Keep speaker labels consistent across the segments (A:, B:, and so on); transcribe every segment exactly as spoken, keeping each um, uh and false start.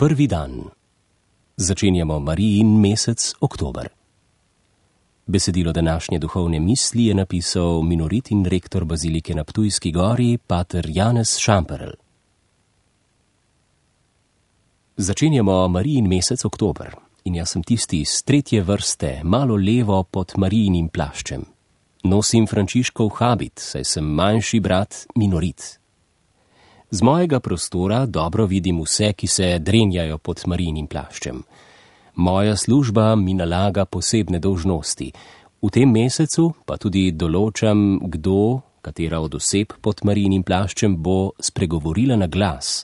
A: Prvi dan. Začenjamo Marijin mesec oktober. Besedilo današnje duhovne misli je napisal minoritin rektor bazilike na Ptujski gori, pater Janez Šamperl. Začenjamo Marijin mesec oktober in jaz sem tisti iz tretje vrste, malo levo pod Marijinim plaščem. Nosim Frančiškov habit, saj sem manjši brat minorit. Z mojega prostora dobro vidim vse, ki se drenjajo pod Marijinim plaščem. Moja služba mi nalaga posebne dolžnosti. V tem mesecu pa tudi določam, kdo, katera od oseb pod Marijinim plaščem bo spregovorila na glas,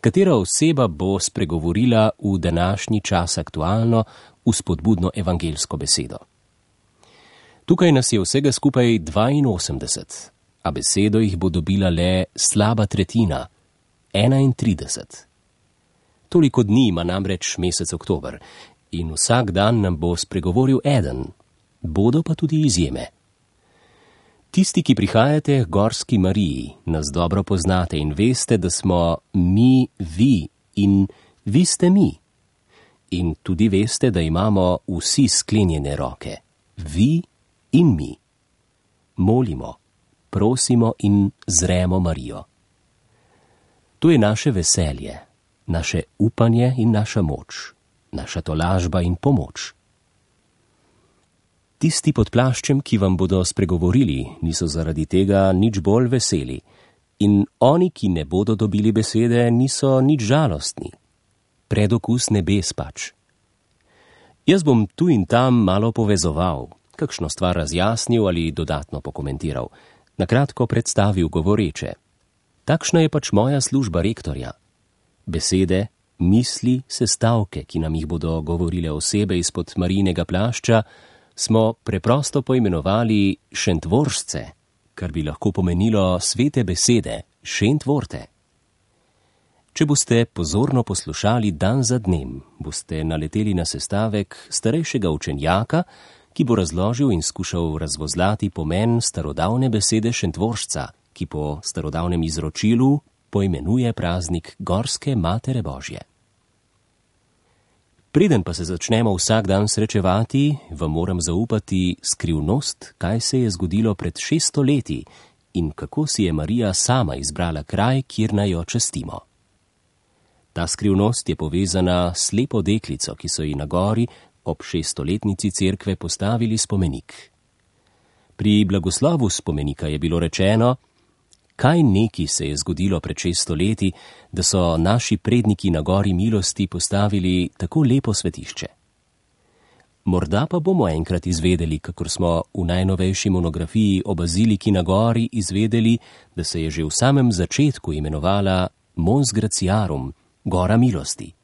A: katera oseba bo spregovorila v današnji čas aktualno vzpodbudno evangelsko besedo. Tukaj nas je vsega skupaj dvainosemdeset, a besedo jih bo dobila le slaba tretjina, enaintrideset. Toliko dni ima namreč mesec oktober in vsak dan nam bo spregovoril eden, bodo pa tudi izjeme. Tisti, ki prihajate k Gorski Mariji, nas dobro poznate in veste, da smo mi vi in vi ste mi. In tudi veste, da imamo vsi sklenjene roke, vi in mi. Molimo, prosimo in zremo Marijo. To je naše veselje, naše upanje in naša moč, naša tolažba in pomoč. Tisti pod plaščem, ki vam bodo spregovorili, niso zaradi tega nič bolj veseli in oni, ki ne bodo dobili besede, niso nič žalostni. Predokus nebes pač. Jaz bom tu in tam malo povezoval, kakšno stvar razjasnil ali dodatno pokomentiral, nakratko predstavil govoreče. Takšna je pač moja služba rektorja. Besede, misli, sestavke, ki nam jih bodo govorile osebe izpod Marijinega plašča, smo preprosto poimenovali šentvoržce, kar bi lahko pomenilo svete besede, šentvorte. Če boste pozorno poslušali dan za dnem, boste naleteli na sestavek starejšega učenjaka, ki bo razložil in skušal razvozlati pomen starodavne besede šentvoržca, ki po starodavnem izročilu poimenuje praznik Gorske Matere Božje. Preden pa se začnemo vsak dan srečevati, vam moram zaupati skrivnost, kaj se je zgodilo pred šeststo leti in kako si je Marija sama izbrala kraj, kjer naj jo častimo. Ta skrivnost je povezana s slepo deklico, ki so ji na gori ob šeststoletnici cerkve postavili spomenik. Pri blagoslovu spomenika je bilo rečeno, kaj neki se je zgodilo pred šeststo leti, da so naši predniki na gori milosti postavili tako lepo svetišče. Morda pa bomo enkrat izvedeli, kakor smo v najnovejši monografiji o baziliki na gori izvedeli, da se je že v samem začetku imenovala Mons Graciarum, Gora milosti.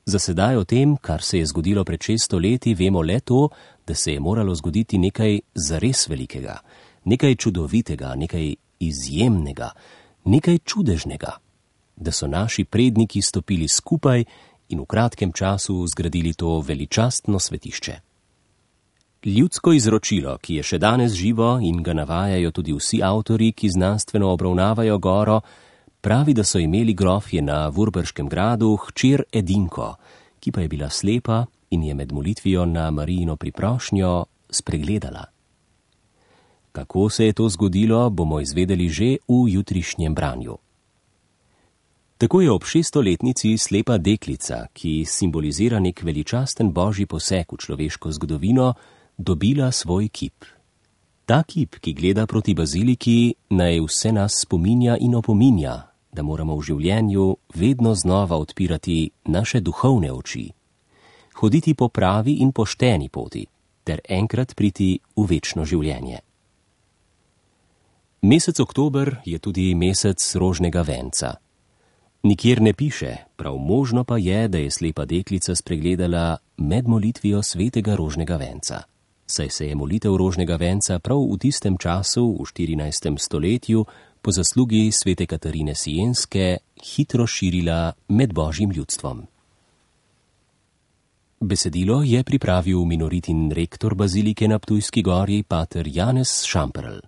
A: Za sedaj o tem, kar se je zgodilo pred šeststo leti, vemo le to, da se je moralo zgoditi nekaj zares velikega, nekaj čudovitega, nekaj izjemnega, nekaj čudežnega, da so naši predniki stopili skupaj in v kratkem času zgradili to veličastno svetišče. Ljudsko izročilo, ki je še danes živo in ga navajajo tudi vsi avtori, ki znanstveno obravnavajo goro, pravi, da so imeli grofje na Vurberškem gradu hčer Edinko, ki pa je bila slepa in je med molitvijo na Marijino priprošnjo spregledala. Kako se je to zgodilo, bomo izvedeli že v jutrišnjem branju. Tako je ob šeststoletnici slepa deklica, ki simbolizira nek veličasten božji poseg v človeško zgodovino, dobila svoj kip. Ta kip, ki gleda proti baziliki, naj vse nas spominja in opominja, da moramo v življenju vedno znova odpirati naše duhovne oči, hoditi po pravi in pošteni poti, ter enkrat priti v večno življenje. Mesec oktober je tudi mesec rožnega venca. Nikjer ne piše, prav možno pa je, da je slepa deklica spregledala med molitvijo svetega rožnega venca. Saj se je molitev rožnega venca prav v tistem času, v štirinajstem stoletju, po zaslugi svete Katarine Sienske, hitro širila med božjim ljudstvom. Besedilo je pripravil minoritin rektor bazilike na Ptujski gori, pater Janez Šamperl.